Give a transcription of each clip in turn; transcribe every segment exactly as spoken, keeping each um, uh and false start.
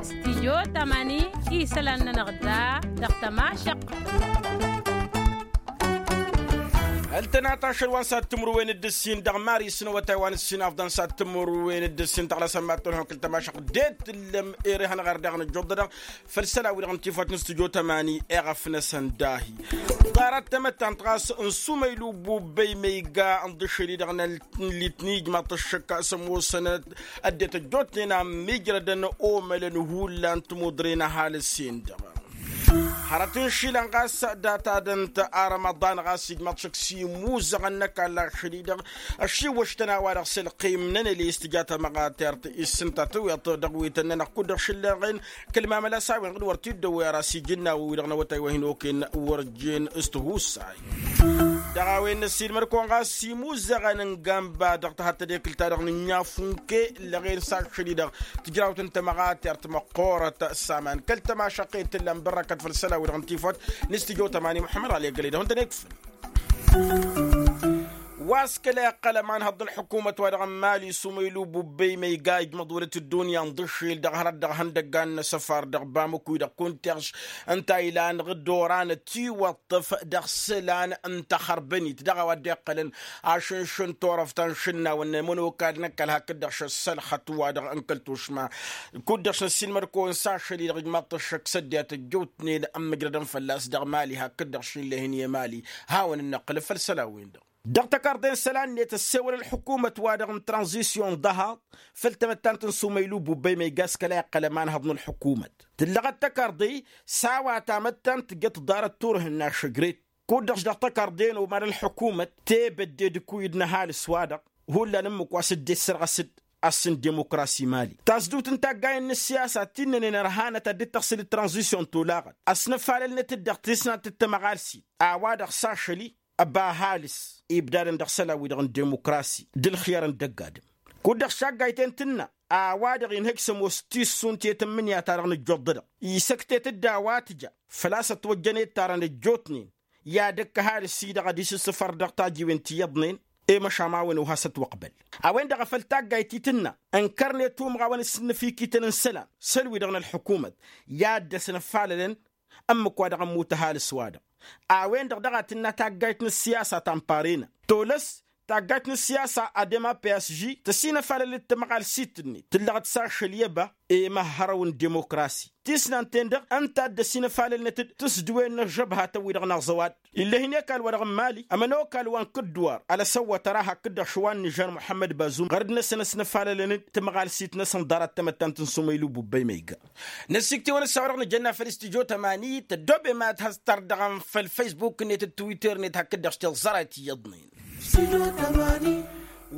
Stidyo tamani isălan-nănăɣ da dăɣ-tămašăqq. Ăltănat ašăl wa n-sad timǝrwen d-ǝssin dăɣ-mari s-inăwătay wa n-ǝssin afḍăn sad timǝrwen d-ǝssin tăɣlăsăn mad-tolhăn kǝl-tămašăqq d-e-tǝllăm ere hanăɣ-ar daɣ nǝjjuḍ-dăɣ făll-isălan-wi-dăɣ n-tifăt n-studyo tămani. Eɣăf-năsăn dahi ḍarăt tamăttant ɣas n-sumăylu bubbăy ma iga ǝnḍǝšel-i-dăɣ n-litni ijmaḍ-t ăššăk s-ămoosăn ăddinăt ăjjootnen a ǝmmijrădăn omălăn hullan timuḍren ăhalǝs-en-dăɣ. Hărăt n-išilan ɣas data-dănt arămăḍan ɣas ijmaḍ-t šăkk s-imuzăɣăn n-ăkall ašăl-i-dăɣ ăššiwwăš-tăn a-wa-dăɣ s-ălqim n-anălis tǝja tamăɣatert. Issǝnta tǝwweḍ dăɣ-wi tăn-nănăɣ kud-dăɣ šǝllăɣen kăl-mamăla s-a-wen ɣǝd wăr t-dd-ăwwey ara s-ijǝnnaw-wi-dăɣ n-awătay wa hin-okăyăn wăr jen s-tihusay. Dăɣ-a-wen n-ăssiilmăd-kăwăn ɣas imuzăɣăn n-gamba dăɣ-tahăttăd ekǝl-ta-dăɣ n-ǝnniafunke ǝllăɣen s-ašăl-i-dăɣ tǝjrawt n-tamăɣatert măqqoorăt s-aman kăl-tămašăqqet tǝllan bărrăkăt făll-isălan-wi-dăɣ n-tifăt n-studyo tămani muḥămmăd ɣali egăle-dăɣ ǝntăn ekfǝn. Wa s-kăla iqqăl ămanhăḍ n-ălḥukumăt-wa-dăɣ n-mali sumăylu bubbăy ma iga ijmăḍ wălăt ăddunya ǝnḍǝšil dăɣ-hărăt dăɣ-ihăndăggan n-asăfar dăɣ-bamăkuy dăɣ-kuntiɣš ǝnta a ilan ɣǝddoran ătiwăṭṭăf dăɣ-isălan n-taxărbănit dăɣ-a-wa dd-iqqălăn ašǝnšǝn turăft ta n-išǝnnawăn n-ămănokal n-ăkall hakd-dăɣ šăssălxăt-wa-dăɣ n-kăl-tušma. Kud-dăɣ šăssiilmăd-kăwăn s-ašăl-i-dăɣ ijmaḍ-t ăššăk s-ăddinăt ăjjootnen ămmǝjrădăn fălla-s dăɣ-mali hakd-dăɣ šinlehen i-mali. Hawăn-dd-năqqǝlăf făll-isălan-wen-dăɣ dăɣ-tăkarḍe n-isălan-net ăssewăl ălḥukumăt-wa-dăɣ n-tranzisyon ḍahaḍ făll-tamăttant n-sumăylu bubbăy ma iga s-kăla iqqăl ămanhăḍ n-ălḥukumăt tǝllăɣăt tăkarḍe-i s-a-wa tamăttant tǝjjăt ḍarăt turhǝnna šăjret. Kud-dăɣ-š dăɣ-tăkarḍe n-oman ălḥukumăt tebădde d-ǝkuyǝd n-ăhalǝs-wa-dăɣ hullan ǝmmǝk wa s-dd-issărɣăs-dd ass n-dimokrasi mali tasdǝwt n-taggayen n-ăssiyasa ti ǝnnănen ărhanăt ad-dd-tăɣsǝl d-tranzisyon tolaɣăt ăsnăfalălnăt-dd dăɣ-tisnant d-tamăɣalsit a-wa-dăɣ s-ašăl-i ăba ăhalǝs ibdadăn dăɣ-isălan-wi-dăɣ n-dimokrasi d-ǝlxǝyăr n-dăgg-adǝm. Kud-dăɣ šaggayt-en tǝnna a-wa-dăɣ inhăj s-ămoos tissunt i-tǝmmǝnǝya-ta-dăɣ nǝjjuḍ-dăɣ isăktet-dd a-wa tǝja făl-a-s ătwăjjăn i-ǝttarăn ăjjootnen i-ad-ăkk ăhalǝs-i-dăɣ ad-isǝssǝfăr dăɣ-tajiwen ti iyyăḍnen. I-măšan ma a-wen ohas ătwăqbăl a-wen-dăɣ a făl taggayt-i tǝnna ǝnkărnet umɣawăn s-ǝnnǝfikităn n-isălan săl-wi-dăɣ n-ălḥukumăt i-ad-dd-ăsnăfalălăn ǝmmǝk wa dăɣ-ămmut ăhalǝs-wa-dăɣ. A-wen-dăɣ daɣ a tǝnna taggayt n-ăssiyasa ta n-parena tolăs taggayt n-ăssiyasa adem a psg tăsinăfalăl d-tamăɣalsit-net tǝllăɣăt s-ašăl i-ăba i-imăhhărăw n-dimokrasi tisnant-en-dăɣ ǝnta a dd-ăsinăfalălnăt-dd tǝsdǝwen n-ăžžăbhatăn-wi-dăɣ n-aẓăwad. Ill'-e hin-ekall wa dăɣ-n mali ămănokal wa n-kǝddǝwar ălăsăwwăt ăra hakd-dăɣ šăwa n-nižar muḥămmăd bazum ɣărăd-năsăn ăsnăfalălăn-dd tamăɣalsit-năsăn ḍarăt tamăttant n-sumăylu bubbăy ma iga. Năsiktewăn ăssawa-dăɣ nǝjănna făll-studyo tămani tăddoobem ad-has-tărdăɣăm făll-faysbuk-net d-twitter-net hakd-dăɣ s-tiẓẓărayt iyyăḍnen.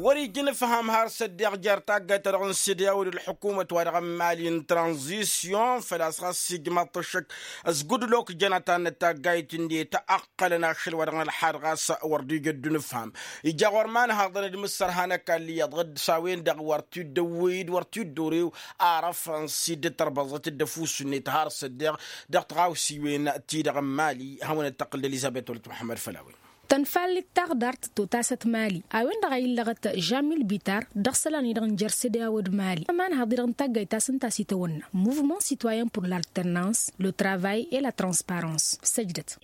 Wăr-ija inǝfham har s-ăddiɣ jer-taggayt-ta-dăɣ n-sediyaw d-ălḥukumăt-wa-dăɣ n-mali n-tranzisyon făl-a-s ɣas ijmaḍ-t ăššăk ăsgudlok jănăt-anăt taggayt-net ăqqălăn ašăl-wa-dăɣ n-ălḥad ɣas wăr dd-ija ăddu-nǝfham. Ija ɣur-imanhaḍăn d-imǝssărha n-ăkall iyyăḍ ɣǝdd s-a-wen-dăɣ wăr t-dd-ăwwey d-wăr t-dd-orew arăfăn s-dd-tărbăẓăt d-ăfuss-net har s-ăddiɣ dăɣ-tiɣawsiwen-ti-dăɣ n-mali. Hawăn-dd-tăqqǝl d-elizăbet wălăt muḥămmăd făll-a-wen. Tănfallit taɣdart totasăt mali a-wen-dăɣ a illăɣăt žamil bitar dăɣ-isălan-i-dăɣ n-jer-sedeya wăr-d mali ămanhăḍ-i-dăɣ n-taggayt ta s-ǝnta a-s itawănna muvement sitoyen pur l'alternans, le travay et la transparans. Săjdăt.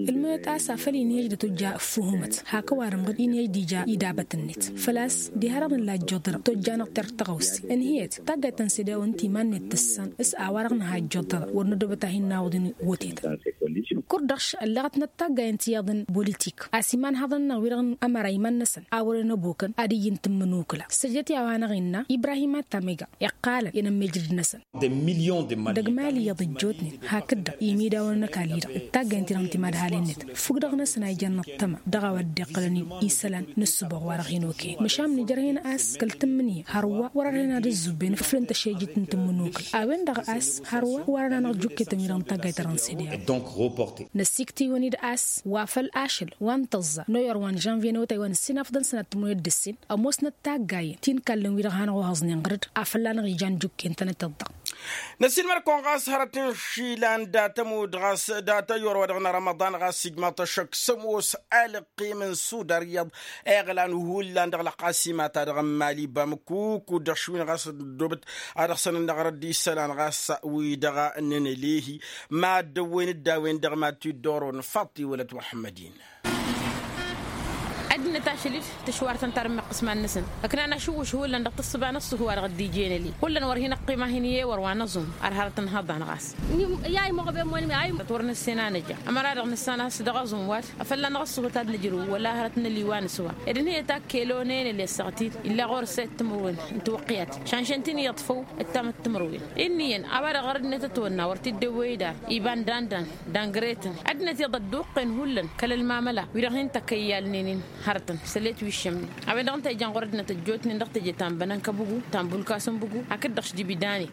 Ǝlmǝnăt a-s afăl inhăj d-ătwăjja ǝffǝhumăt hak ăwadǝm-ɣǝd inhăj d-ija idabăt-net făl-a-s diha-dăɣ nǝlla ăjjoḍădăɣ tojja-năɣ terr tăɣawse ǝnhǝyăt taggayt ta n-sedeya wăr ǝnta iman-net tǝssan s-a-wa-dăɣ nǝha ăjjoḍădăɣ wăr nădobăt a hin-nawăḍ inwătetăn. Kăr-dăɣ ăllăɣătnăt taggayen ti iyyăḍ n-politik a-s imanhăḍăn-năɣ wi-dăɣ n-ămăra iman-năsăn a wărăn ăbokăn ad-ǝyyǝn tǝmmǝnukǝla săjdăt i-a-wa-năɣ innă ibrahim ad-tamega iqqalăn i-inămmijrǝd-năsăn. Dăgg-mali iyyăḍ ăjjootnen hakd-dăɣ imidawăn n-ăkall-i-dăɣ d-taggayăn-ti-dăɣ n-timadhalen-net fukk-dăɣ-năsăn a ijan nǝṭṭăma dăɣ-a-wa dd-iqqălăn isălan n-ǝssǝboɣ wa-dăɣ hin-okăyăn măšan nǝjrăh-en a-s kăl-tǝmmǝnǝya hărwa wăr-ărhen ad-ǝzzubben ǝflǝn tăšejjit n-tǝmmǝnukǝla a-wen-dăɣ a-s hărwa wăr-ărhen anăɣ-jukketăn wi-dăɣ n-taggayt-ta-dăɣ n-sediya. Năssiktǝy-wăn-dd a-s wa făl ašăl wa n-tăẓẓa noyor wa n-žănvye n-awătay wa n-ǝssin afḍăn sănat timǝrwen d-ǝssin ămoosnăt taggayen ti n-ikallăn wi-dăɣ hanăɣ-ohăẓnen ɣăr-dd afăl a năɣ-ijan jukken-tănăt-dd-dăɣ. Năsiilmăd-kăwăn ɣas hărăt n-išilan dat-ămudd ɣas dat-ăyor wa dăɣ-nărămăḍan. ɣas ijmaḍ-t ăššăk s-ămoos ălqim n-sudar iyyăḍ iɣlan hullan dăɣ-lăqqasima-ta-dăɣ n-mali bamkuk. Kud-dăɣ šwin ɣas ăddobăt ad-dăɣ-săn ănnăɣrăd isălan ɣas wi-dăɣ n-enălehi mad-dăwwen dd-a-wen-dăɣ mad-t-dd-oron faḍt-i wălăt muḥămmăd-in. Ăddinăt ašăl-dd tǝšwar-tăn tarǝmmăqqǝs iman-năsăn ǝknan ašǝwwǝš hullan dăɣ-tǝssǝba n-ǝṣṣuhu wa dăɣ-dd-ijăn ăli. Hullan wăr hin-ăqqim a hin-iyyăy wăr wa năẓum ar hărăt n-haḍan ɣas. I-a imăɣbem wănmi a imăɣ. Wăr nǝssen a nǝja ămăra dăɣ-nǝssan a-s dăɣ-aẓum wa-dăɣ a fălla-năɣ ǝṣṣuhu ta d-nǝjrǝw wăla hărăt n-ăliwa nǝswa. Ed ǝnhǝyăt a kălon enăl i-ăssaɣăt-dd illa ɣur-s ăyy timǝrwen n-tiwăqqiyat. Šanšăn-t-in iyyăḍ făw ǝttamăt timǝrwen. Inn'-iyyăn a-wa-dăɣ ɣur-ăddinăt ătwănna wăr t-dd-ewwăy idar iba n-dandan d-angret-in. Ăddinăt iyyăḍ ădduqqen hullan kăl-ălmamăla wi-dăɣ hin-tăkkăyyalnen-in hărătăn s-ăllet wi ǝššămnen. A-wen-dăɣ ǝnta ijăn ɣur-ăddinăt ăjjootnen dăɣ-teje ta n-bănăn kăbǝgu ta n-bulkasăn bǝgu hakd-dăɣ šdibidane.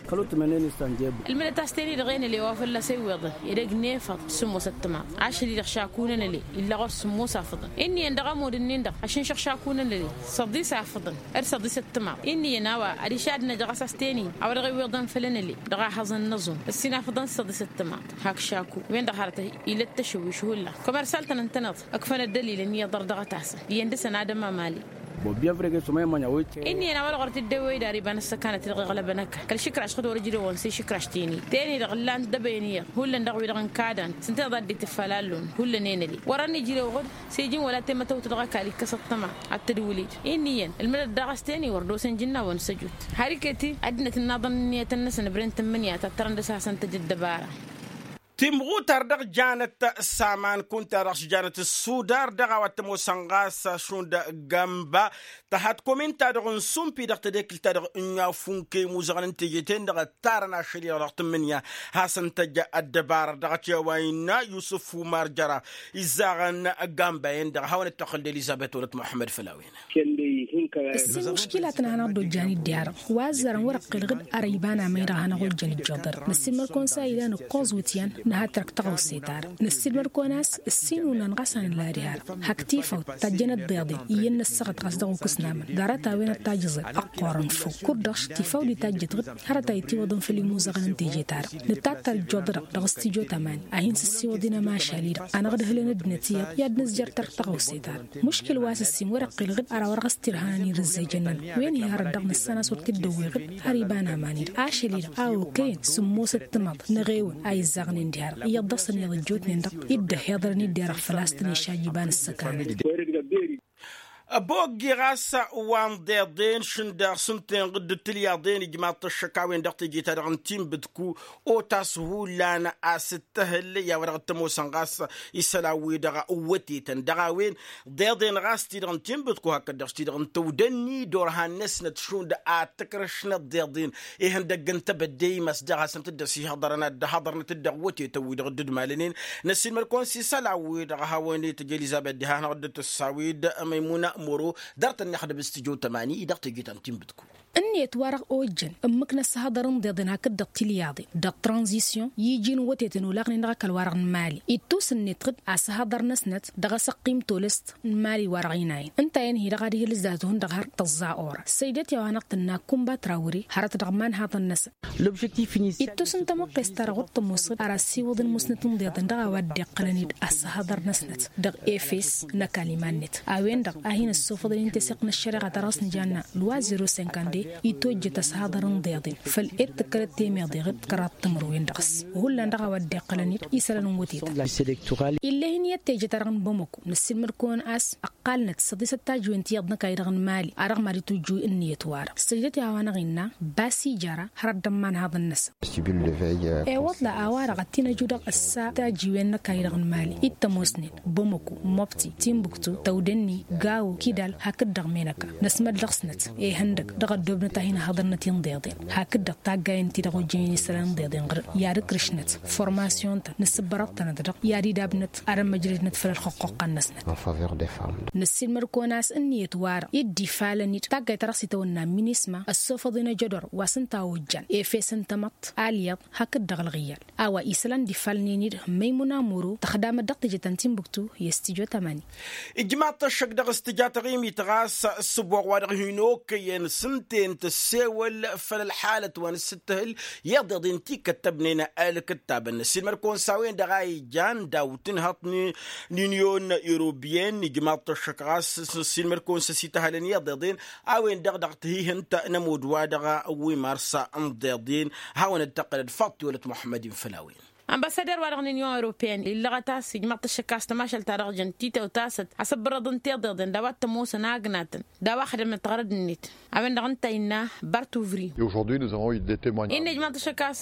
Ǝlmǝdăt a-s ten-i-dăɣ enăle wa fălla-s ewweḍăn edăgg n-efăḍ s-sǝmmosăt timaḍ. Ašăl-i-dăɣ šaku n-enăle illa ɣur-s sǝmmos afǝḍăn. Inn'-iyyăn dăɣ-amud-ǝnnin-dăɣ ašǝnšăɣ šaku n-enăle săḍis afǝḍăn d-săḍis ăttămaḍ. Inn'-iyyăn a-wa ad-išadnăj ɣas a-s ten-i a-wa dăɣ-ewweḍăn făll-enăle dăɣ-ahăẓăn n-aẓum ǝssin afǝḍăn d-săḍis ăttămaḍ. Hak šaku wen-dăɣ hărăt ila t-tăšăwwiš hullan. Kămărsal-tăn ǝntăneḍ ǝkfăn ăddălil ănn-iyyăḍ ărdăɣăt-asăn iyyăn dăɣ-săn ad-ămamali. Inn'-iyyăn a-wa-dăɣ wăr t-dd-ewwăy dar iba n-ăssăkanăt-i-dăɣ iɣlăbăn ăkall kăl-išǝkraš ɣǝd wăr-ǝjrewăn s-išǝkraš ten-i ten-i-dăɣ ǝllan-dd ăbăyăn iyyăḍ hullan dăɣ-wi-dăɣ n-kadan s-ǝnta iḍa dd-itǝffal allun hullan enăli wăr-ănijrew ɣǝd. S-iji n-wăla temătăwt dăɣ-ăkall ikkăs ăṭṭăma ad-tǝdwǝl-dd. Inn'-iyyăn ǝlmǝdăt daɣ a-s ten-i wăr dd-osăn jǝnnawăn s-ăjut. Har iket-i ăddinăt ǝnnaḍăn ǝnniyăt-năsăn ǝbrent ǝmmǝnǝya tattărăn dăɣ-s hasăn-tăj ăddăbara. Timɣutar dăɣ-janăt s-aman kunta dăɣ-s janăt s-sudar dăɣ-a-wa t-ămoosăn ɣas šund gamba tăhhat komin-ta-dăɣ n-sumpi dăɣ-tedekǝlt-ta-dăɣ n-yafunke imuzăɣăn n-teje-ten-dăɣ ǝttarăn ašăl-i-dăɣ dăɣ-tǝmmǝnǝya. Hasăn-tăj ăddăbara dăɣ-t i-a-wa innă yusǝf umar jăra izzaɣăn gamba-en-dăɣ a hawăn-dd-tăxxǝl d-elizăbet wălăt muḥămmăd făll-a-wen. Ǝssin muškilatăn a hanăɣ-dd-ojjan idde-a-dăɣ wa ăzzarăn wăr-ăqqel ɣǝd ara iba n-aman-i-dăɣ a hanăɣ-ojjan ijjoḍăr. Năssiilmăd-kăwăn s-a ilan ǝkkoẓ wǝtyan nǝha tărk tăɣawse-ta-dăɣ năssiilmăd-kăwăn a-s ǝssin unăn ɣas a nǝla diha-dăɣ hak tifawt tajjăn ăddiḍen iyyăn năssăɣăt ɣas dăɣ-okǝs n-aman ḍarăt-a-wen ăttajjăẓen ăqqoorăn făw kud-dăɣ tifawt d-itajjăt ɣǝd hărăt a ittiwăḍăn făll-imuzăɣăn n-teje-ta-dăɣ. Nǝttattar ijjoḍădăɣ dăɣ-s tijo tămani a hin-sǝssiwăḍ inămašal-i-dăɣ a năɣ-dd-hǝlăn ăddinăt iyyăḍ i-ad-nǝzjăr tărk tăɣawse-ta-dăɣ. Muškil wa s-ǝssin wăr-ăqqil ɣǝd ara wăr ɣas tirhanăn irǝzzejăn-nănăɣ wen-hi hărăt dăɣ-nǝssan a-s wăr t-dd-ăwwey ɣǝd har iba n-aman-i-dăɣ ašăl-i-dăɣ a okăyăn sǝmmosăt timaḍ n-eɣewăn a izzaɣnen diha-dăɣ iyyăḍ dăɣ-săn iyyăḍ ăjjootnen-dăɣ. Dd-ăhhiḍărăn-dd i-dăɣ făl-a-s tăn-išaj iba n-ăssăkanăn. Ăboggi ɣas wa n-iḍeḍen šǝndaɣ s-ǝnta-en ɣǝddǝt tilyaḍen ijmaḍ-t ăššăk a-wen-dăɣ teje-ta-dăɣ n-tinbǝtku otas hullan a-s ǝttăhǝl i-a-wa dăɣ-t-ămoosăn ɣas isălan-wi-dăɣ ǝwwătetăn dăɣ-a-wen. Ḍeḍen ɣas ti-dăɣ n-tinbǝtku hakd-dăɣ s-ti-dăɣ n-tăwdănni d-orhan-năsnăt šund ad-tǝkrǝšnăt ḍeḍen ihăndăgg n-tebădde imas dăɣ-hasăn-t-dd-ăsihăḍărăn ad-dd-ăhhăḍărnăt-dd dăɣ-wătetăn-wi-dăɣ dd-malănen. Năssiilmăd-kăwăn s-isălan-wi-dăɣ a hawăn-itǝj elizăbet diha-năɣ dd-tǝssawid măymuna moro. Ḍarăt-ănn ixdăb s-tijo tămani dăɣ-teje ta n-tinbǝtku. Ǝnniyăt-wa-dăɣ ojjăn ǝmmǝk n-ăssihăḍăr n-iḍeḍen hakd-dăɣ tilyaḍen dăɣ-tranzisyon i-iji n-wătetăn olaɣnen dăɣ-ăkall-wa-dăɣ n-mali. Ittus-net ɣǝd asǝhăḍăr-năsnăt dăɣ-asăqqim tolăst n-mali-wa-dăɣ inayăn ǝnta-en-hi-dăɣ ad-ihǝlǝzzat hundăɣ har tăẓẓa ora săjdăt i-a-wa hanăɣ-tǝnna kumba trawre hărăt dăɣ-imanhaḍăn-năsăn. Ittus n-tamăqqes-ta-dăɣ wăr tămoos ɣǝd ar ăssiwăḍăn musnăt n-iḍeḍen dăɣ-a-wa dd-iqqălăn-dd asǝhăḍăr-năsnăt dăɣ-efes n-ăkall iman-net a-wen-dăɣ a hin-ăssofăḍăn i-n teseɣt n-ăššăreɣa ta dăɣ-s nǝjanna lwa zero cinquante-deux. Itojjăt asǝhăḍăr n-iḍeḍen făl ed tǝkkălăt temeḍe ɣǝd kăraḍ timǝrwen dăɣ-s hullan dăɣ-a-wa dd-iqqălăn-dd isălan n-wătetăn. Ill'-e-hin iyyăt teje-ta-dăɣ n-bamăko năssiilmăd-kăwăn a-s ăqqalnăt săḍisăt tajǝwen tiyyăḍ n-ăkall-i-dăɣ n-mali a dăɣ-mad-itujju ǝnniyăt-wa-dăɣ săjdăt i-a-wa-năɣ innă basi jara hărăt d-ămmanhaḍăn-năsăn. Ewăḍla a-wa-dăɣ ătinăju dăɣ-ǝssa tajǝwen n-ăkall-i-dăɣ n-mali ittămosnen bamăko mobti timbuktu tăwdănni gawo kidal hakd-dăɣ menăka. Năsmăd dăɣ-snăt ihăndăg dăɣ-ăddoobnăt a hin-ăhhăḍărnăt i-n-ḍeḍen hakd-dăɣ taggayen-ti-dăɣ ojjănen isălan n-ḍeḍen ɣǝr i-ad-ǝkrǝšnăt formasyon-tăn nǝssǝbbărăḍ-tănăt-dăɣ i-ad-idabnăt ad-ămmăjrăjnăt făll-ălxăqqoqqa-năsnăt. Năssiilmăd-kăwăn a-s ǝnniyăt-wa-dăɣ i-dd-ifalăn-dd taggayt ta dăɣ-s itawănna minisma ăssofăḍ-in ejădor wa s-ǝnta a ojjan efes n-tamăḍt alyaḍ hakd-dăɣ ălɣǝyyal a-wa isălan d-ifalnen-dd măymuna moro tăxdamăt dăɣ-teje ta n-tinbuktu i-stujo tămani. Ijmaḍ-t ăššăk dăɣ-s Tăɣimit ɣas ǝssǝboɣ wa-dăɣ hin-okăyăn s-ǝnta-en tăssewăl făll-ălxalăt wa n-ǝssǝttăhǝl iḍeḍen ti kăttăbnen ălkǝttabăn ăssiilmăd-kăwăn s-a-wen-dăɣ a ijan daw-tǝnhăḍt n-inyon europeyăn ijmaḍ-t ăššăk ɣas ăssiilmăd-kăwăn s-ăsităhălăn iḍeḍen a-wen-dăɣ dăɣ-tihihǝnt n-ămudd wa dăɣ-wi marsa n-iḍeḍen. Hawăn-dd-tăqqălăd faḍt tiwălăt muḥămmăd-in făll-a-wen. Ănbăssadăr wa dăɣ-nǝnyon europeyăn illăɣăt a-s ijmăḍ-t ăššăk a-s tămašăl-ta-dăɣ jăn titewt a-s ăsăbbărăḍ n-tiḍeḍen d-a-wa t-ămoosăn agnatăn d-a-wa ăxdămnăt ɣărăd-net. A-wen-dăɣ ǝnta a innă bartuvri. Innă ijmăḍ-t ăššăk a-s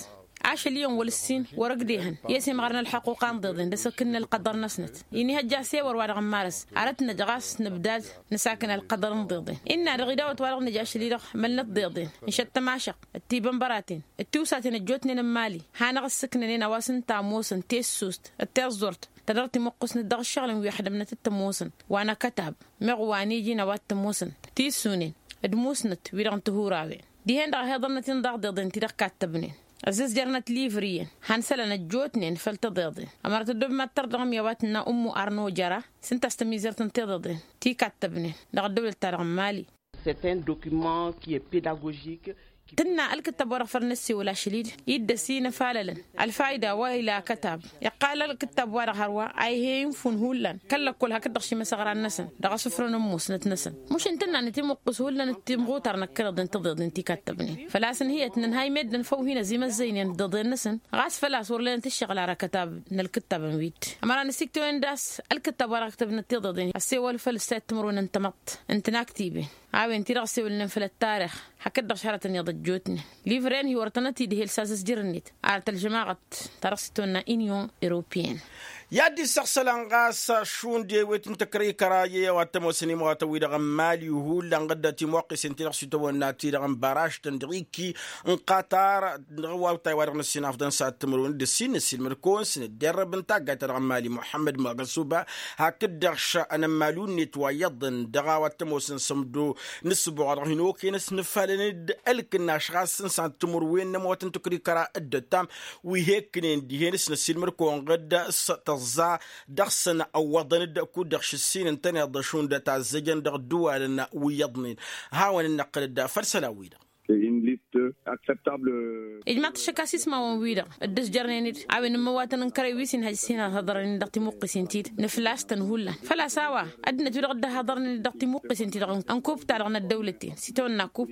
ašăl iyyăn wăl-ǝssin wăr-ăgg dehăn i-ăsimăɣ arăn ălxăqquqa n-iḍeḍen d-asăkǝn n-ălqăḍăr-năsnăt. Inihăjja s-ewăr wa dăɣ-nǝmmarăs arăt-năj ɣas nǝbdad nǝsakǝn ălqăḍăr n-iḍeḍen. Innă-dăɣ idawăt wa dăɣ-nǝj ašăl-i-dăɣ mălnăt iḍeḍen n-šăt tămašăɣt d-tibănbăraten d-tiwsaten ăjjootnen n-imali. Hanăɣ-ǝssǝknănen a-wa s-ǝnta ămoosăn tessust d-tiẓẓurt ta dăr-timǝqqǝsnăt dăɣ-ǝššăɣǝl n-wi ăxdămnăt t-ămoosăn wa n-akătab meɣ wa n-iji n-a-wa t-ămoosăn tisunen d-musnăt-wi-dăɣ n-tihurawen. Dihen-dăɣ ăhiḍălnăt-in daɣ d-iḍen ti-dăɣ kattăbnen ăzzăzjărnăt livri-en han isălan ăjjootnen făll-tiḍeḍen. Ămărăt ăddob mad-tărdăɣăm i-a-wa tǝnna ummu arno jăra s-ǝnta a-s tămizărt n-tiḍeḍen ti kattăbnen dăɣ-ăddăwlăt-ta-dăɣ n-mali. C'est un document qui est pédagogique. Tǝnna ălkǝttab wa dăɣ-făl năssewăl ašăl-i-dd iddăs-i n-afalălăn ălfayda wa ila akătab. Iqqal ălkǝttab wa dăɣ-hărwa a ih'-e infun hullan kăl-lăkkol hakd-dăɣ šimăsăɣran-năsăn dăɣ-asǝfrăn n-musnăt-năsăn. Mušin tǝnna nǝtimuqqǝs hullan d-timɣutar n-ăkkăneḍ n-tiḍeḍen ti kattăbnen făl-a-s ǝnhǝyăt n-ănhay meddǝn făw hin-ăzimăzzăynen d-iḍeḍen-năsăn. Ɣas făl-a-s wăr lănăt ǝššăɣǝl ar akătab n-ălkǝttabăn wi-dd ămăra nǝsiktăwen d-a-s ălkǝttab wa dăɣ-ăktăbnăt tiḍeḍen ăssewăl făll-ǝssayăt timǝrwen n-tamăḍt n-tinaktibin. A-wen-ti-dăɣ ăssewălnen făll-ăttarix hakd-dăɣ šarătăn iyyăḍ ăjjootnen livren hi-wăr tănăt-idhel s-azǝzjăr-net. Ar tălžămaɣăt ta dăɣ-s itwănna inyon europeyăn. I-ad-dd-issăɣsălăn ɣas šund i-ewet n-tăkrăy kăra i-a-wa t-ămoosăn imawatăn-wi-dăɣ n-mali hullan ɣǝdda timuqqisen ti-dăɣ s-itwănna ti-dăɣ n-baraštăn dăɣ-ikki n-qatar. Dăɣ-wa ǝttay wa dăɣ-năssin afḍăn s-ad-timǝrwen d-ǝssin năssiilmăd-kăwăn s-nǝdderrăb n-taggayt-ta-dăɣ n-mali muḥămmăd magăsuba hakd-dăɣ š-anămmalu-net wa iyyăḍăn dăɣ-a-wa t-ămoosăn s-ămdo n-ǝssǝboɣ wa dăɣ-hin-okăyăn s-nǝfalăn-dd ălkǝnnaš ɣas s-ad-timǝrwen n-ămootăn tǝkrikăra dd-ăttam wi he-ǝkkǝnen dihen s-năssiilmăd-kăwăn ɣǝd s-tăẓẓa dăɣ-săn ăwwăḍăn-dd kud-dăɣ šǝssin ǝntăneḍ šund ătazzăjăn dăɣ-ǝddǝwalăn wi iyyăḍnen. Hawăn-dd-năqqǝl-dd făll-isălan-wi-dăɣ. Ijmaḍ-t ăššăk a-s ismawăn-wi-dăɣ dd-ǝzjărnen-dd a-wen n-imăwatăn n-kărăy wi s-inhăj s-hin-ăhhăḍărnen-dd dăɣ-timuqqisen-ti-dd nǝflas-tăn hullan. Făl-a-s a-wa ăddinăt-wi-dăɣ dd-ăhhăḍărnen-dd dăɣ-timuqqisen-ti-dăɣ n-kup-ta-dăɣ n-ăddăwlăten s-itawănna kup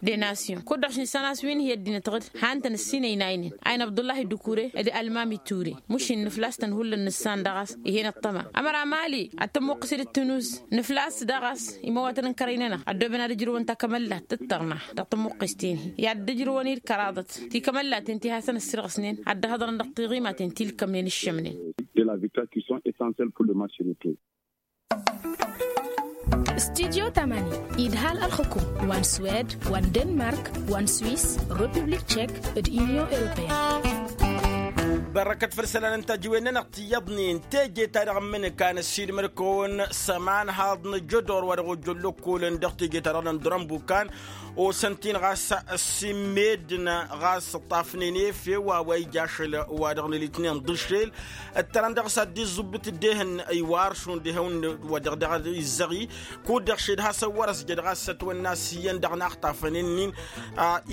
de nasyon kud-dăɣ šinsan a-s wi n-hi-ăddinăt ɣǝd han-tăn ǝssin ăynaynen a-wen abdullahi dukure d-almami ture. Mušin nǝflas-tăn hullan nǝssan daɣ a-s ih'-en ăṭṭăma ămăra mali ad-tămmuqqǝs-dd ǝttǝnuz nǝflas daɣ a-s imăwatăn n-kărăy-nănăɣ ăddoobăn ad-ǝjrǝwăn takămăllat d-tărna dăɣ-tămmuqqes-ten-hi i-ad-dd-ǝjrǝwăn-dd kăraḍăt tikămăllaten ti hasăn-ăssirɣǝsnen ad-dd-ăhhăḍărăn dăɣ-tiɣimaten ti ǝlkămnen ǝššămnen. De la victoire qui sont essentielles pour le match retour. Studyo tamani idhal ălxukum wa n-swed wa n-denmark wa n-swiss, republik tchek d-union europeyăn. Bărrăkăt făll-isălan n-tajǝwen-nănăɣ ti iyyăḍnen teje-ta-dăɣ n-imǝnǝka n-ăssiilmăd-kăwăn s-ămanhaḍ n-ajădor wa dăɣ-ojjăn lăkkolăn dăɣ-teje-ta-dăɣ n-ăndurăn bukan osăn-t-in ɣas ăssimmedăn ɣas ǝṭṭafnen efew a-wa ija ašăl wa dăɣ-nǝlitnen ḍǝšel ǝttărăn dăɣ-s ad-dd-iẓubbǝt dd-ehăn iwar šund ehăn wa dăɣ-dăɣ izzăɣi. Kud-dăɣ šed has-ăwwăr-ăsjăd ɣas ătwănna s-iyyăn dăɣ-inaxṭafăn-in-in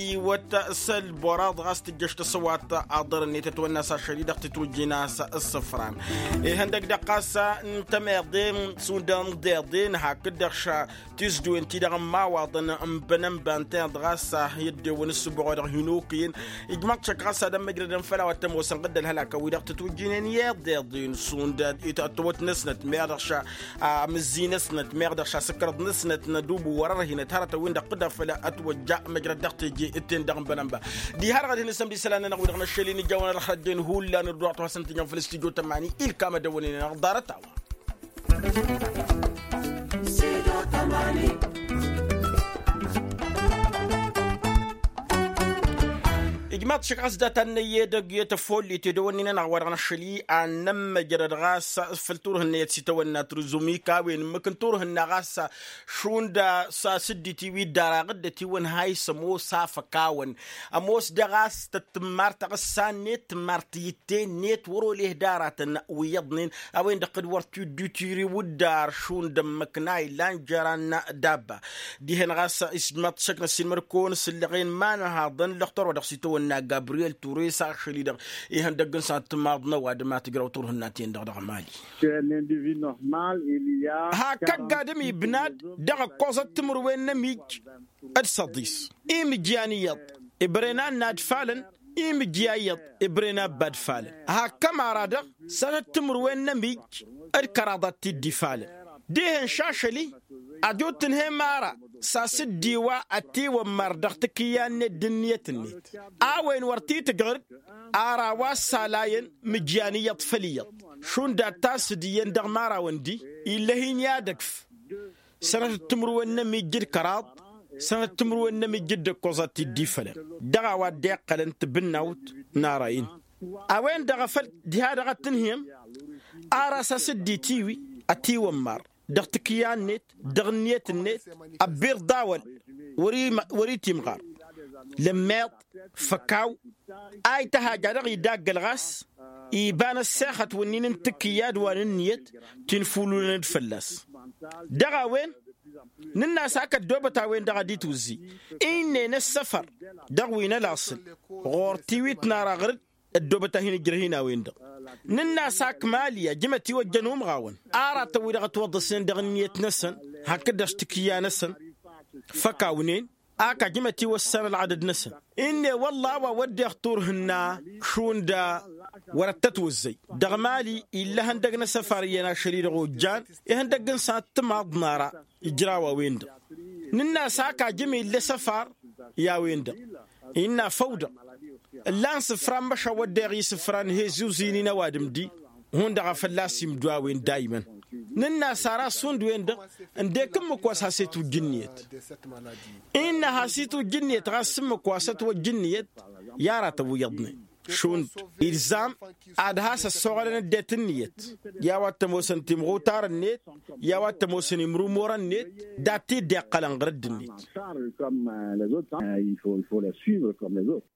iwăt s-ălbăraḍ ɣas tǝjjăš tăsăwat aḍăr-net ătwănna s-ašăl-i-dăɣ tǝtwǝjjǝn a-s ǝssǝfran. Ihăndăg dăɣ-ɣas n-tămeḍe šund ănḍeḍen hakd-dăɣ ša tizdǝwen-ti-dăɣ n-imawaḍăn n-bănănba ǝntăneḍ ɣas i-ăddewăn ǝssǝboɣ wa dăɣ-hin-okǝyăn. Ijmăḍ-t šăkk ɣas ad-ămmăjrădăn făll-a-wa t-ămoosăn ɣǝddăl hălak a-wi-dăɣ tǝtwǝjjǝnen i-iḍeḍen šund ătwăt-năsnăt meɣ dăɣ-ša amǝzzi-năsnăt meɣ dăɣ-ša asǝkrăḍ-năsnăt n-ădubǝw wăr-ărhinăt hărătăn-win-dăɣ tǝdafăl ătwăjja măjrăd dăɣ-teje ǝtten dăɣ-n bănănba. Diha-dăɣ ad-hin-ǝssǝmd isălan-nănăɣ wi-dăɣ n-aššăl-in ǝjawăn ad-ăxrăjjăyăn hullan dd-wa ătwasăn tǝjăn făll-studyo tămani ilkam ad-ăwwănen-anăɣ ḍarăt-a-wa. Maḍšăk ɣas dat-annăy edăgg i-tăfollit edăwănnin-anăɣ wa dăɣ-năššăl-i ad-nămmăjrăd ɣas făll-turhǝnna i-ad-sitawănna trǝzumik a-wen ǝmmǝk n-turhǝnna ɣas šund s-asǝddit-i wi dd-araɣ dd-ătiwăn hayǝs ămoos afăk-awăn. Ămoos daɣ a-s tăt-tǝmmar taɣǝssa-net tǝmmar tǝyǝtte-net wăr-oleh d-aratăn wi iyyăḍnen. A-wen-dăɣ kăd-wăr t-dd-utiri wǝddar šund ămmăk n-a illan jăran dabba. Dihen ɣas ismaḍ šăknăs-in măr-kăwăn sǝllăɣen ma n-ăhaḍăn lăxtor wa dăɣ-s itawănna gabriyel ture s-ašăl-i-dăɣ ihăndăgg n-săn tǝmaḍ n-ăwadǝm a tǝjrăw turhǝnna-ten-dăɣ dăɣ-mali. Hakk ăgg-adǝm ibnad dăɣ-ǝkkoẓăt timǝrwen n-ămij d-săḍis imǝjjan iyyăḍ. Ibrăyăn annad falăn imǝjja iyyăḍ. Ibrăyăn abbad falăn hakk ămara-dăɣ sănăt timǝrwen n-ămij d-kăraḍ ad-t-dd-ifalăn. Dihen šašăl-i ad-dd-tǝnhăy mara s-asǝddi wa ătiwămmar dăɣ-tikǝyya-net d-ǝnniyăt-net. A-wen wăr t-tǝjrăd ara wa s-alayăn mǝjjan iyyăḍ făll-iyyăḍ šund ad-t-asǝd iyyăn dăɣ-mara-wăn-di. Ill'-e-hin i-ad-ăkf sănătăt timǝrwen n-ămijj d-kăraḍ sănătăt timǝrwen n-ămijj d-ǝkkoẓ ad-t-dd-ifălăn dăɣ-a-wa dd-iqqălăn tibǝnnawt n-ara-in. A-wen-dăɣ a făl diha-dăɣ ad-tǝnhǝyăm ar a-s asǝddi tiwi ătiwămmar dăɣ-tikǝyya-net dăɣ-ǝnniyăt-net. Ăbbiḍ d-awăl wăr-itimɣar lămmeḍ făkaw. A ităhaj a dăɣ-idaggăl ɣas iba n-ăssexăt wǝnnin n-tikǝyya d-wa n-ǝnniyăt ti n-fululăn-dd fălla-s. Dăɣ-a-wen nǝnn'-as ak ăddoobăt a-wen-dăɣ ad-itwǝzzi. Innă-en ăssăfăr dăɣ-wi n-ălaṣǝl ɣur-tiwit n-ara ɣǝr-dd ăddoobăt a hin-ǝjrăh-in a-wen-dăɣ. Nǝnn'-as ak mali ajǝmăt-iwăjjăn umɣawăn aratăn wi-dăɣ ătwăḍḍăsnen dăɣ-ǝnniyăt-năsăn hakd-dăɣ tikǝyya-năsăn făk-awnen. Ak ajǝmăt-iwăssan ălɣadăd-năsăn. Innă wălla a-wa wădden turhǝnna šund wărăt tătwăzzăy dăɣ-mali. Ill'-e ihăndăgg n-asăfar iyyăn ašăl-i-dăɣ ojjan ihăndăgg n-sănăt timaḍ n-ara ijraw a-wen-dăɣ. Nǝnn'-as ak ajǝm ill'-e asăfar i-a-wen-dăɣ. Innă făw-dăɣ ǝllan sǝfran măšan wădden isǝfran he-zuzi-nin ăwadǝm-di. Hundăɣ a fălla-s imdu a-wen dayman. Nǝnn'-as ara šund-wen-dăɣ ǝndek ǝmmǝk wa s-has-itwǝjj ǝnniyăt. Innă has-itwǝjj ǝnniyăt ɣas ǝmmǝk wa s-ătwăjj ǝnniyăt. I-aratăn wi iyyăḍnen šund ilzam ad-has-ăssoɣălăn ăddinăt ǝnniyăt. I-a-wa t-ămoosăn timɣutar-net i-a-wa t-ămoosăn imrumurăn-net dat-t-dd-iqqălăn ɣǝr-dd-net. Comme les autres.